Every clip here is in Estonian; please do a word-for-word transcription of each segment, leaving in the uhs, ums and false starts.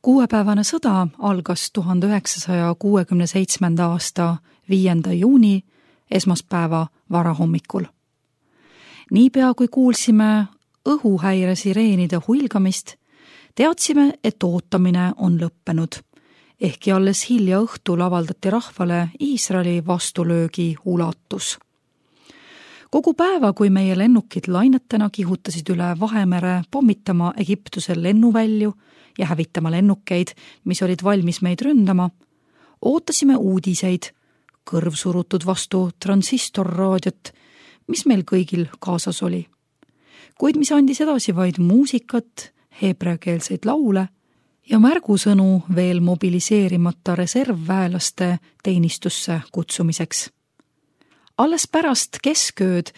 Kuuepäevane sõda algas tuhande üheksasaja kuuekümne seitsmenda aasta viienda juuni esmaspäeva varahommikul. Niipea kui kuulsime õhuhäire sireenide huilgamist, teadsime, et ootamine on lõppenud, ehkki alles hilja õhtul avaldati rahvale Iisraeli vastulöögi ulatus. Kogu päeva, kui meie lennukid lainetena kihutasid üle Vahemere pommitama Egiptuse lennuvälju ja hävitama lennukeid, mis olid valmis meid ründama, ootasime uudiseid, kõrv surutud vastu transistorraadiot, mis meil kõigil kaasas oli. Kuid mis andis edasi vaid muusikat, heebreakeelseid laule ja märgusõnu veel mobiliseerimata reservväelaste teenistusse kutsumiseks. Alles pärast keskööd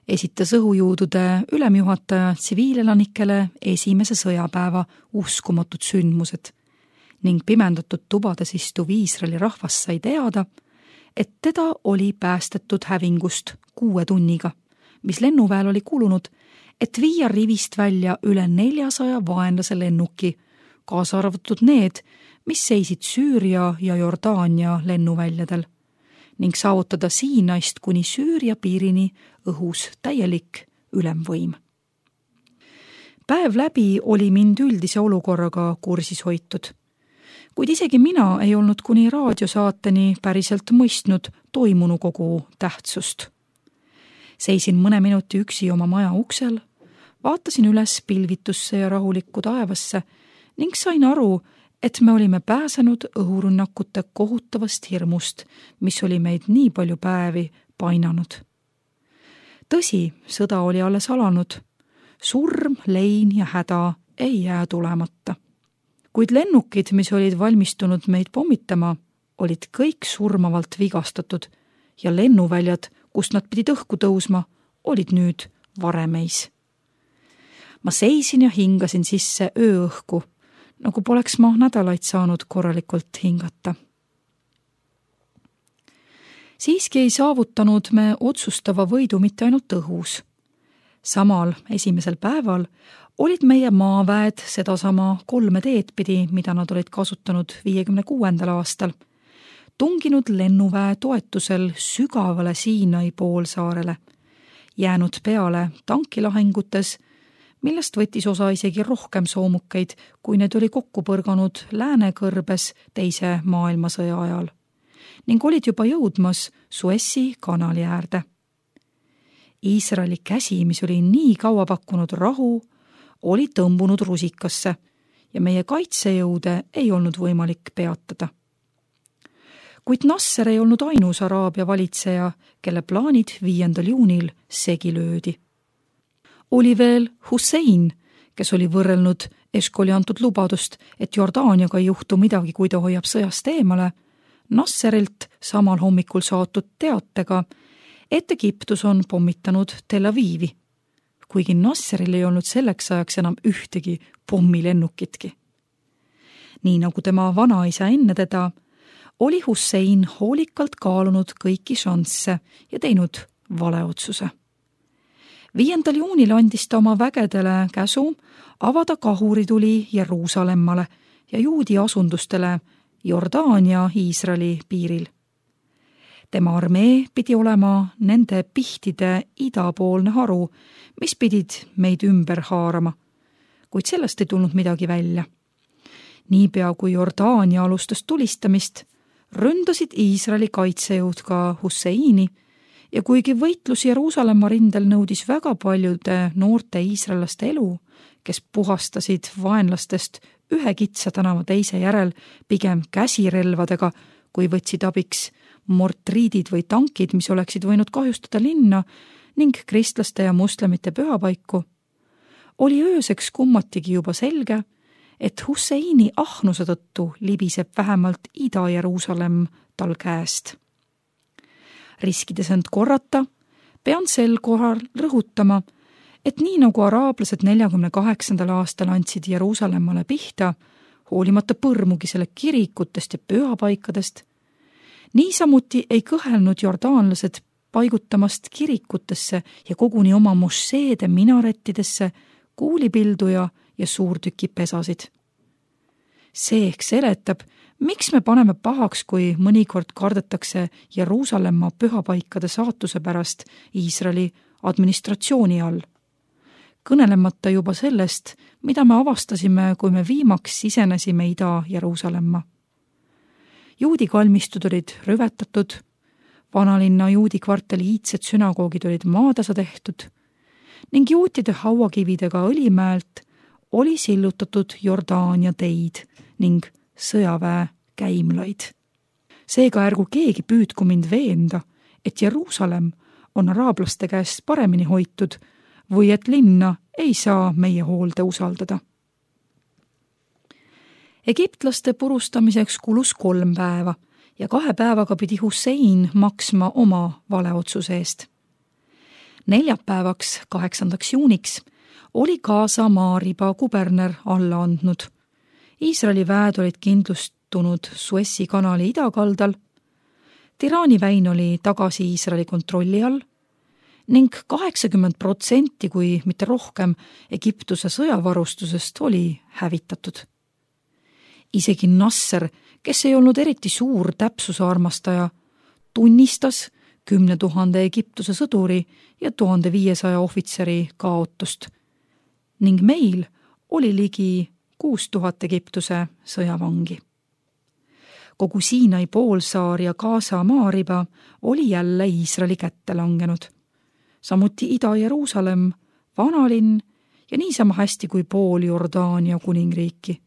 esitas õhujõudude ülemjuhataja tsiviilelanikele esimese sõjapäeva uskumatud sündmused ning pimendatud tubades istuv Iisraeli rahvas sai teada, et teda oli päästetud hävingust kuue tunniga, mis lennuväel oli kulunud, et viia rivist välja üle neljasaja vaenlase lennuki, kaasa arvatud need, mis seisid Süüria ja Jordaania lennuväljadel, ning saavutada Siinaist kuni Süüria piirini õhus täielik ülemvõim. Päev läbi oli mind üldise olukorraga kursis hoitud, kuid isegi mina ei olnud kuni raadiosaateni päriselt mõistnud toimunu kogu tähtsust. Seisin mõne minuti üksi oma maja uksel, vaatasin üles pilvitusse ja rahulikku taevasse ning sain aru, et me olime pääsenud õhurünnakute kohutavast hirmust, mis oli meid nii palju päevi painanud. Tõsi, sõda oli alles alanud. Surm, lein ja häda ei jää tulemata. Kuid lennukid, mis olid valmistunud meid pommitama, olid kõik surmavalt vigastatud ja lennuväljad, kust nad pidid õhku tõusma, olid nüüd varemeis. Ma seisin ja hingasin sisse ööõhku, nagu poleks ma nädalaid saanud korralikult hingata. Siiski ei saavutanud me otsustava võidu mitte ainult õhus. Samal esimesel päeval olid meie maaväed sedasama kolme teed pidi, mida nad olid kasutanud viiekümne kuuendal aastal, tunginud lennuväe toetusel sügavale Siinai poolsaarele, jäänud peale tankilahingutes, millest võttis osa isegi rohkem soomukeid, kui need oli kokku põrganud Läänekõrbes teise maailmasõja ajal, ning olid juba jõudmas Suessi kanali äärde. Iisraeli käsi, mis oli nii kaua pakkunud rahu, oli tõmbunud rusikasse ja meie kaitsejõude ei olnud võimalik peatada. Kuid Nasser ei olnud ainus Araabia valitseja, kelle plaanid viiendal juunil segi löödi. Oli veel Hussein, kes oli võrrelnud Eškoli antud lubadust, et Jordaaniaga ei juhtu midagi, kui ta hoiab sõjast eemale, Nasserilt samal hommikul saatud teatega, et Egiptus on pommitanud Tel Avivi, kuigi Nasseril ei olnud selleks ajaks enam ühtegi pommilennukitki. Nii nagu tema vanaisa enne teda, oli Hussein hoolikalt kaalunud kõiki šansse ja teinud valeotsuse. Viiendal juunil andis ta oma vägedele käsu avada kahurituli Jeruusalemmale ja juudi asundustele Jordaania Iisraeli piiril. Tema armee pidi olema nende pihtide idapoolne haru, mis pidid meid ümber haarama, kuid sellest ei tulnud midagi välja. Niipea kui Jordaania alustas tulistamist, ründasid Iisraeli kaitsejõud ka Husseini ja kuigi võitlus Jeruusalemma rindel nõudis väga paljude noorte iisraellaste elu, kes puhastasid vaenlastest ühe kitsa tänava teise järel pigem käsirelvadega, kui võtsid abiks mortriidid või tankid, mis oleksid võinud kahjustada linna ning kristlaste ja moslemite pühapaiku, oli ööseks kummatigi juba selge, et Husseini ahnuse tõttu libiseb vähemalt Ida-Jeruusalemm tal käest. Riskides end korrata, pean sel korral rõhutama, et nii nagu araablased neljakümne kaheksandal aastal andsid Jeruusalemmale pihta, hoolimata põrmugi selle kirikutest ja pühapaikadest, niisamuti ei kõhelnud jordaanlased paigutamast kirikutesse ja koguni oma mosseede minarettidesse kuulipilduja ja suurtükipesasid. See ehk seletab, miks me paneme pahaks, kui mõnikord kardetakse Jeruusalemma pühapaikade saatuse pärast Iisraeli administratsiooni all. Kõnelemata juba sellest, mida me avastasime, kui me viimaks sisenesime Ida-Jeruusalemma. Juudi kalmistud olid rüvetatud, vanalinna juudi kvartali iidsed sünagoogid olid maatasa tehtud ning juutide hauakividega Õlimäelt oli sillutatud Jordaania teid ning sõjaväe käimlaid. Seega ärgu keegi püüdku mind veenda, et Jeruusalemm on araablaste käest paremini hoitud või et linna ei saa meie hoolde usaldada. Egiptlaste purustamiseks kulus kolm päeva ja kahe päevaga pidi Hussein maksma oma valeotsuse eest. Neljapäevaks, kaheksandaks juuniks, oli Gaza maariba kuberner alla andnud. Iisraeli väed olid kindlustunud Suessi kanali idakaldal, Tiraani väin oli tagasi Iisraeli kontrolli all ning kaheksakümmend protsenti, kui mitte rohkem, Egiptuse sõjavarustusest oli hävitatud. Isegi Nasser, kes ei olnud eriti suur täpsuse armastaja, tunnistas kümne tuhande Egiptuse sõduri ja tuhande viiesaja ohvitseri kaotust ning meil oli ligi kuus tuhat Egiptuse sõjavangi. Kogu Siinai poolsaar ja Gaza maariba oli jälle Iisraeli kätte langenud. Samuti Ida-Jeruusalemm, vanalinn ja niisama hästi kui pool Jordaania kuningriiki.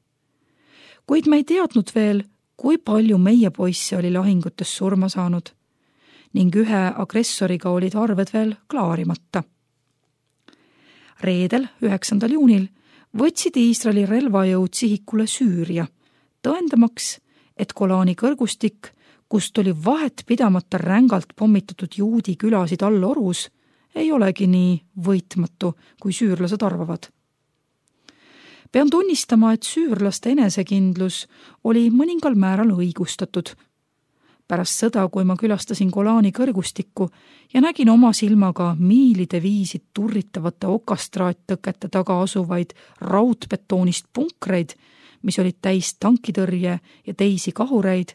Kuid me ei teadnud veel, kui palju meie poisse oli lahingutes surma saanud ning ühe agressoriga olid arved veel klaarimata. Reedel, üheksandal juunil, võtsid Iisraeli relvajõud sihikule Süüria, tõendamaks, et Golani kõrgustik, kust oli vahet pidamata rängalt pommitatud juudi külasid all orus, ei olegi nii võitmatu, kui süürlased arvavad. Pean tunnistama, et süürlaste enesekindlus oli mõningal määral õigustatud. Pärast sõda, kui ma külastasin Golani kõrgustikku ja nägin oma silmaga miilide viisid turritavate okastraattõkete taga asuvaid raudbetoonist punkreid, mis olid täis tankitõrje ja teisi kahureid,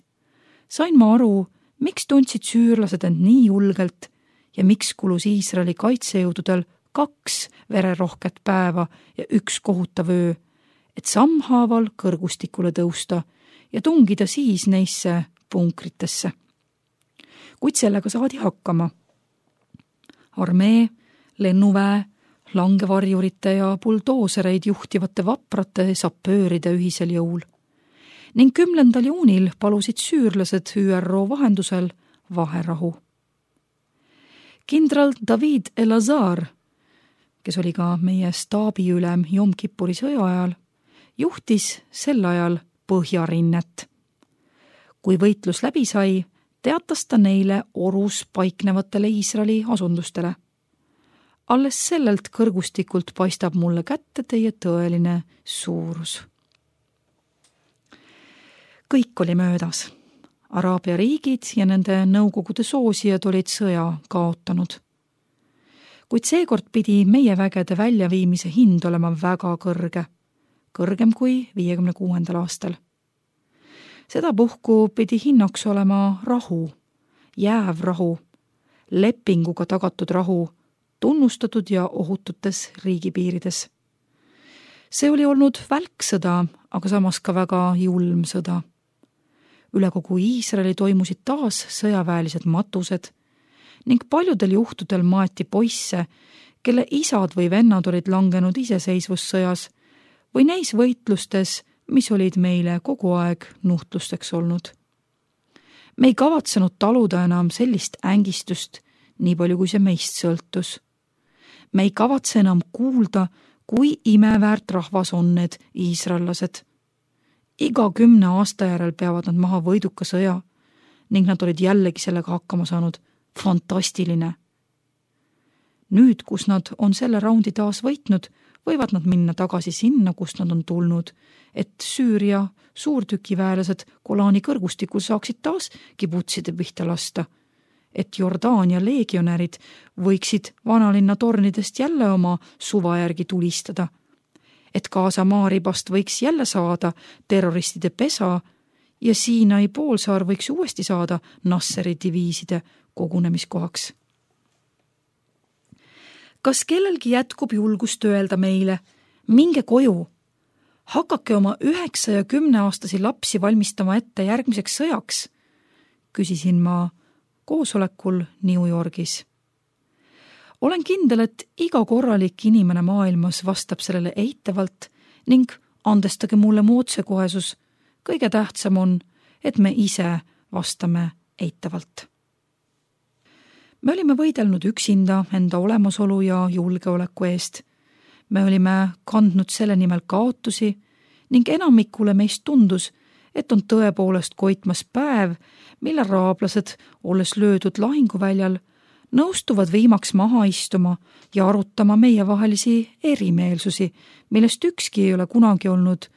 sain ma aru, miks tundsid süürlased end nii julgelt ja miks kulus Iisraeli kaitsejõududel kaks vererohket päeva ja üks kohutav öö, et sammhaaval kõrgustikule tõusta ja tungida siis neisse punkritesse. Kuid sellega saadi hakkama. Armee, lennuväe, langevarjurite ja buldoosereid juhtivate vaprate sapööride ühisel jõul. Ning kümnendal juunil palusid süürlased Ü R O vahendusel vaherahu. Kindral David Elazar, kes oli ka meie staabiülem Jom Kippuri sõja ajal, juhtis sel ajal Põhjarinnet. Kui võitlus läbi sai, teatas ta neile orus paiknevatele Iisraeli asundustele. Alles sellelt kõrgustikult paistab mulle kätte teie tõeline suurus. Kõik oli möödas. Araabia riigid ja nende nõukogude soosijad olid sõja kaotanud. Kuid seekord pidi meie vägede väljaviimise hind olema väga kõrge, kõrgem kui viiekümne kuuendal aastal. Seda puhku pidi hinnaks olema rahu, jääv rahu, lepinguga tagatud rahu, tunnustatud ja ohututes riigipiirides. See oli olnud välksõda, aga samas ka väga julm sõda. Üle kogu Iisraeli toimusid taas sõjaväelised matused ning paljudel juhtudel maeti poisse, kelle isad või vennad olid langenud iseseisvussõjas või neis võitlustes, mis olid meile kogu aeg nuhtlusteks olnud. Me ei kavatsenud taluda enam sellist ängistust, nii palju kui see meist sõltus. Me ei kavatse enam kuulda, kui imeväärt rahvas on need iisraellased. Iga kümne aasta järel peavad nad maha võiduka sõja ning nad olid jällegi sellega hakkama saanud. Fantastiline. Nüüd, kus nad on selle raundi taas võitnud, võivad nad minna tagasi sinna, kust nad on tulnud, et Süüria suurtükiväelased Golani kõrgustikul saaksid taas kibutside pihta lasta, et Jordaania leegionärid võiksid vanalinna tornidest jälle oma suva järgi tulistada, et Gaza maaribast võiks jälle saada terroristide pesa ja Siinai poolsaar võiks uuesti saada Nasseri diviiside kogunemiskohaks. Kas kellelgi jätkub julgust öelda meile, minge koju, hakake oma üheksa ja kümneaastasi lapsi valmistama ette järgmiseks sõjaks, küsisin ma koosolekul New Yorgis. Olen kindel, et iga korralik inimene maailmas vastab sellele eitavalt ning andestage mulle mu otsekohesus, kõige tähtsam on, et me ise vastame eitavalt. Me olime võidelnud üksinda enda olemasolu ja julgeoleku eest. Me olime kandnud selle nimel kaotusi ning enamikule meist tundus, et on tõepoolest koitmas päev, mil araablased, olles löödud lahinguväljal, nõustuvad viimaks maha istuma ja arutama meievahelisi erimeelsusi, millest ükski ei ole kunagi olnud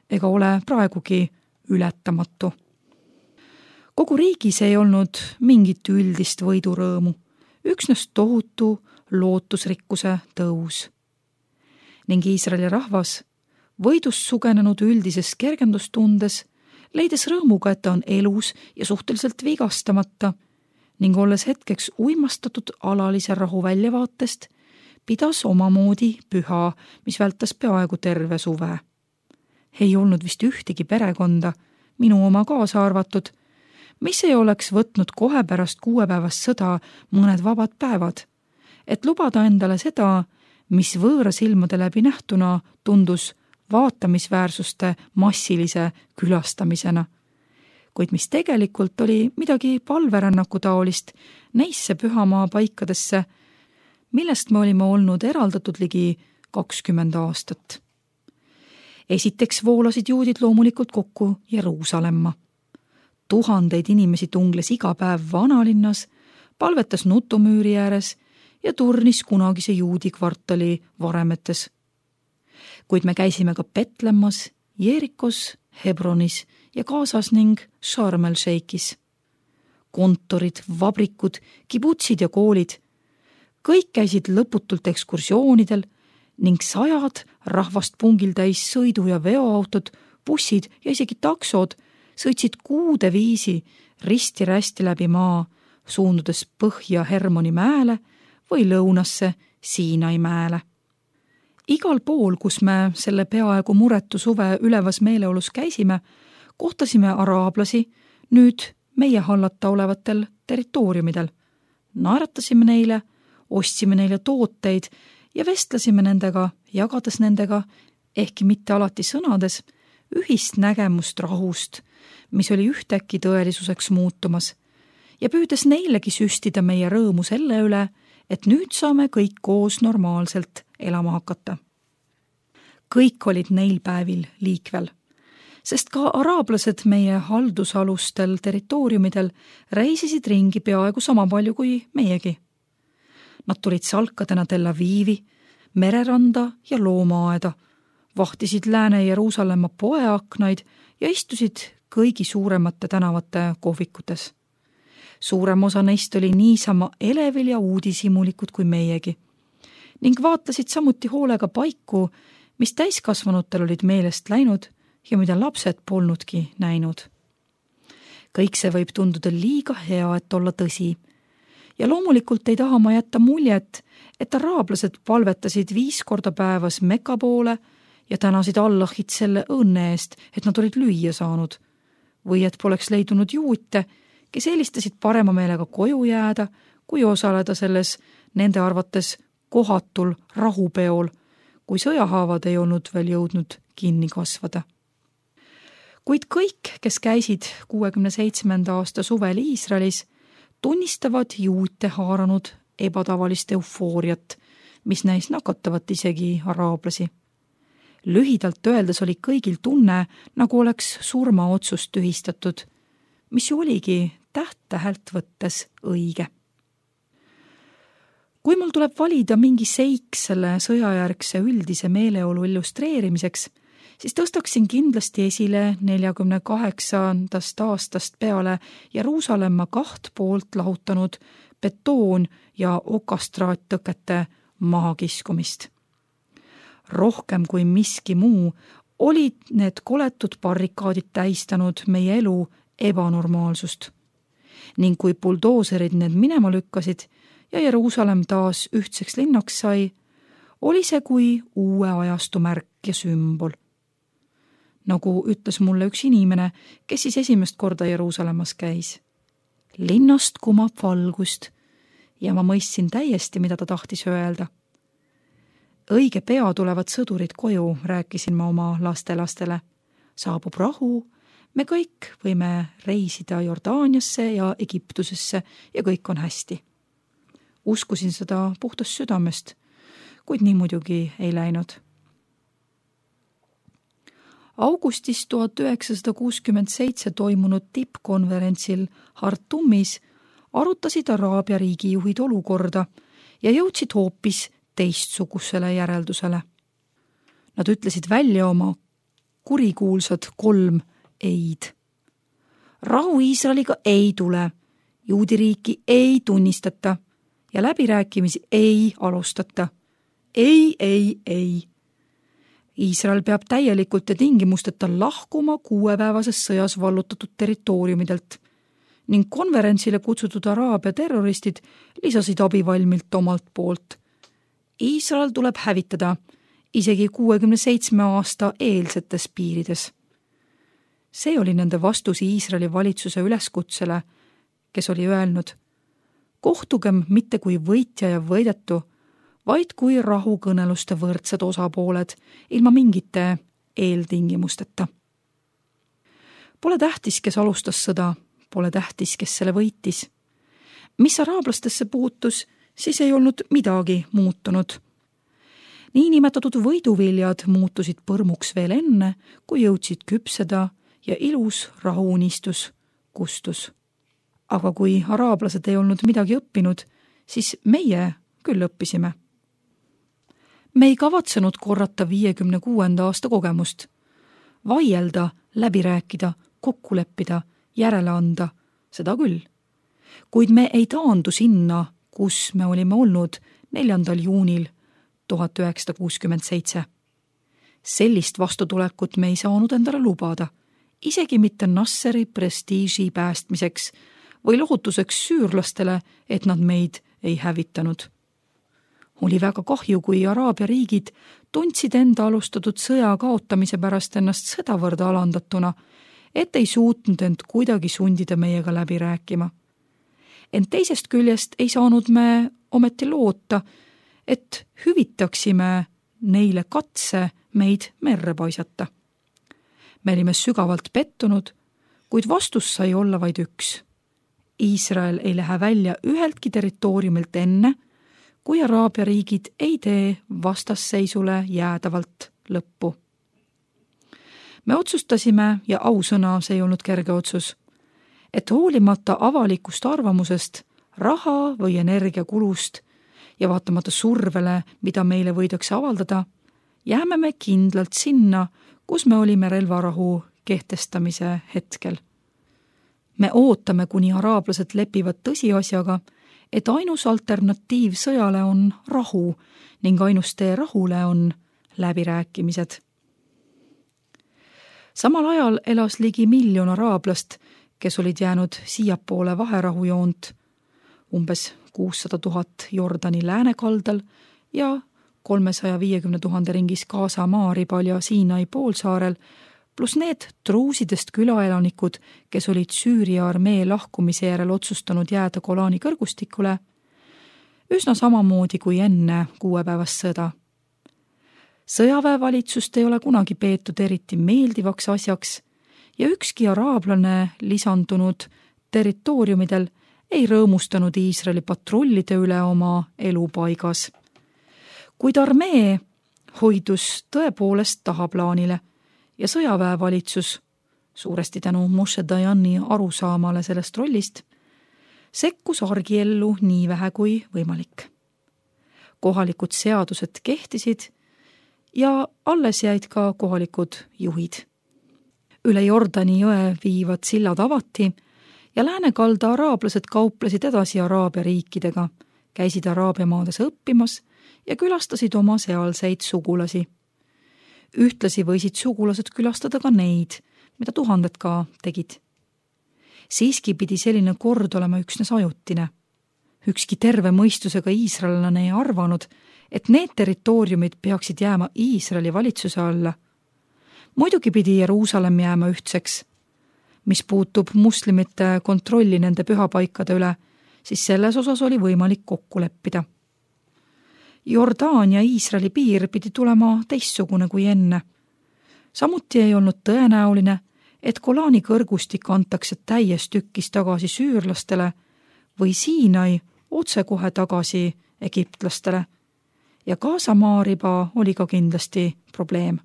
ega ole praegugi ületamatu. Kogu riigis ei olnud mingit üldist võidurõõmu, üksnes tohutu lootusrikkuse tõus. Ning Iisraeli rahvas, võidust sugenenud üldises kergendustundes, leides rõõmuga, et ta on elus ja suhteliselt vigastamata ning olles hetkeks uimastatud alalise rahu väljavaatest, pidas omamoodi püha, mis vältas peaaegu terve suve. Ei olnud vist ühtegi perekonda, minu oma kaasa arvatud, mis ei oleks võtnud kohe pärast kuuepäevast sõda mõned vabad päevad, et lubada endale seda, mis võõra silmade läbi nähtuna tundus vaatamisväärsuste massilise külastamisena, kuid mis tegelikult oli midagi palverännaku taolist neisse pühamaa paikadesse, millest me olime olnud eraldatud ligi kakskümmend aastat. Esiteks voolasid juudid loomulikult kokku Jeruusalemma. Tuhandeid inimesi tungles iga päev vanalinnas, palvetas nutumüüri ääres ja turnis kunagise juudi kvartali varemetes. Kuid me käisime ka Petlemmas, Jeerikos, Hebronis ja Gazas ning Sharm el-Sheikis. Kontorid, vabrikud, kibutsid ja koolid. Kõik käisid lõputult ekskursioonidel ning sajad rahvast pungil täis sõidu- ja veoautod, bussid ja isegi taksod sõitsid kuude viisi risti-rästi läbi maa, suundudes põhja Hermoni mäele või lõunasse Siinai mäele. Igal pool, kus me selle peaaegu muretu suve ülevas meeleolus käisime, kohtasime araablasi nüüd meie hallata olevatel territooriumidel. Naeratasime neile, ostsime neile tooteid ja vestlesime nendega, jagades nendega, ehkki mitte alati sõnades, ühist nägemust rahust, mis oli ühtäkki tõelisuseks muutumas, ja püüdes neilegi süstida meie rõõmu selle üle, et nüüd saame kõik koos normaalselt elama hakata. Kõik olid neil päevil liikvel, sest ka araablased meie haldusalustel territooriumidel reisisid ringi peaaegu sama palju kui meiegi. Nad tulid salkadena Tel Avivi, mereranda ja loomaaeda, vahtisid Lääne-Jeruusalemma poeaknaid ja istusid kõigi suuremate tänavate kohvikutes. Suurem osa neist oli niisama elevil ja uudishimulikud kui meiegi ning vaatlesid samuti hoolega paiku, mis täiskasvanutel olid meelest läinud ja mida lapsed polnudki näinud. Kõik see võib tunduda liiga hea, et olla tõsi. Ja loomulikult ei taha ma jätta muljet, et araablased palvetasid viis korda päevas Mekka poole ja tänasid Allahit selle õnne eest, et nad olid lüüa saanud. Või et poleks leidunud juute, kes eelistasid parema meelega koju jääda, kui osaleda selles nende arvates kohatul rahupeol, kui sõjahaavad ei olnud veel jõudnud kinni kasvada. Kuid kõik, kes käisid kuuekümne seitsmenda aasta suvel Iisraelis, tunnistavad juute haaranud ebatavalist eufooriat, mis näis nakatavat isegi araablasi. Lühidalt öeldes oli kõigil tunne, nagu oleks surmaotsust tühistatud, mis oligi täht-tähelt võttes õige. Kui mul tuleb valida mingi seik selle sõjajärgse üldise meeleolu illustreerimiseks, siis tõstaksin kindlasti esile neljakümne kaheksandast aastast peale Jeruusalemma kaht poolt lahutanud betoon- ja okastraattõkete mahakiskumist. rohkem kui miski muu olid need koletud barrikaadid täistanud meie elu ebanormaalsust. Ning kui buldooserid need minema lükkasid ja Jeruusalemm taas ühtseks linnaks sai, oli see kui uue ajastu märk ja sümbol. Nagu ütles mulle üks inimene, kes siis esimest korda Jeruusalemmas käis. Linnast kumab valgust ja ma mõistsin täiesti, mida ta tahtis öelda. Õige pea tulevad sõdurid koju, rääkisin ma oma lastelastele. Saabub rahu, me kõik võime reisida Jordaaniasse ja Egiptusesse ja kõik on hästi. Uskusin seda puhtast südamest, kuid nii muidugi ei läinud. Augustis tuhat üheksasada kuuskümmend seitse toimunud tippkonverentsil Hartumis arutasid Araabia riigijuhid olukorda ja jõudsid hoopis teistsugusele järeldusele. Nad ütlesid välja oma kurikuulsad kolm eid. Rahu Iisraeliga ei tule, juudiriiki ei tunnistata ja läbirääkimisi ei alustata. Ei, ei, ei. Iisrael peab täielikult ja tingimusteta lahkuma kuuepäevases sõjas vallutatud territooriumidelt ning konverentsile kutsutud Araabia terroristid lisasid abivalmilt omalt poolt. Iisrael tuleb hävitada isegi kuuekümne seitsme aasta eelsetes piirides. See oli nende vastus Iisraeli valitsuse üleskutsele, kes oli öelnud, kohtugem mitte kui võitja ja võidetu, vaid kui rahukõneluste võrdsed osapooled ilma mingite eeltingimusteta. Pole tähtis, kes alustas sõda, pole tähtis, kes selle võitis. Mis araablastesse puutus, siis ei olnud midagi muutunud. Niinimetatud võiduviljad muutusid põrmuks veel enne, kui jõudsid küpseda ja ilus rahuunistus kustus. Aga kui araablased ei olnud midagi õppinud, siis meie küll õppisime. Me ei kavatsenud korrata viiekümne kuuenda aasta kogemust. Vaielda, läbi rääkida, kokku leppida, järele anda, seda küll. Kuid me ei taandu sinna, kus me olime olnud neljandal juunil tuhat üheksasada kuuskümmend seitse. Sellist vastutulekut me ei saanud endale lubada, isegi mitte Nasseri prestiiži päästmiseks või lohutuseks süürlastele, et nad meid ei hävitanud. Oli väga kahju, kui Araabia riigid tundsid enda alustatud sõja kaotamise pärast ennast sedavõrd alandatuna, et ei suutnud end kuidagi sundida meiega läbi rääkima. Ent teisest küljest ei saanud me ometi loota, et hüvitaksime neile katse meid merre paisata. Me olime sügavalt pettunud, kuid vastus sai olla vaid üks. Iisrael ei lähe välja üheltki territooriumilt enne, kui Araabia riigid ei tee vastasseisule jäädavalt lõppu. Me otsustasime, ja ausõna see ei olnud kerge otsus, et hoolimata avalikust arvamusest, raha või energiakulust ja vaatamata survele, mida meile võidakse avaldada, jääme me kindlalt sinna, kus me olime relvarahu kehtestamise hetkel. Me ootame, kuni araablased lepivad tõsiasjaga, et ainus alternatiiv sõjale on rahu ning ainus tee rahule on läbirääkimised. Samal ajal elas ligi miljon araablast, kes olid jäänud siiapoole vaherahujoont, umbes kuussada tuhat Jordani läänekaldal ja kolmesaja viiekümne tuhande ringis Gaza maaribal ja Siinai poolsaarel, pluss need truusidest külaelanikud, kes olid Süüria armee lahkumise järel otsustanud jääda Golani kõrgustikule, üsna samamoodi kui enne kuuepäevast sõda. Sõjaväevalitsust ei ole kunagi peetud eriti meeldivaks asjaks ja ükski araablane lisandunud territooriumidel ei rõõmustanud Iisraeli patrullide üle oma elupaigas. Kuid armee hoidus tõepoolest tahaplaanile ja sõjaväevalitsus, suuresti tänu Moshe Dayani arusaamale sellest rollist, sekkus argiellu nii vähe kui võimalik. Kohalikud seadused kehtisid ja alles jäid ka kohalikud juhid. Üle Jordani jõe viivad sillad avati ja läänekalda araablased kauplesid edasi Araabia riikidega, käisid Araabia maades õppimas ja külastasid oma sealseid sugulasi. Ühtlasi võisid sugulased külastada ka neid, mida tuhanded ka tegid. Siiski pidi selline kord olema üksnes ajutine. Ükski terve mõistusega iisraellane ei arvanud, et need territooriumid peaksid jääma Iisraeli valitsuse alla. Muidugi pidi Jeruusalemm jääma ühtseks. Mis puutub muslimite kontrolli nende pühapaikade üle, siis selles osas oli võimalik kokku leppida. Jordaania Iisraeli piir pidi tulema teistsugune kui enne. Samuti ei olnud tõenäoline, et Golani kõrgustik antakse täies tükkis tagasi süürlastele või Siinai otsekohe tagasi egiptlastele. Ja ka Samaariba oli ka kindlasti probleem.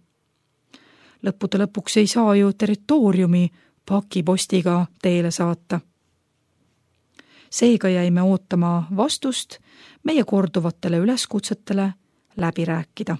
Lõppude lõpuks ei saa ju territooriumi pakipostiga teele saata. Seega jäime ootama vastust meie korduvatele üleskutsetele läbi rääkida.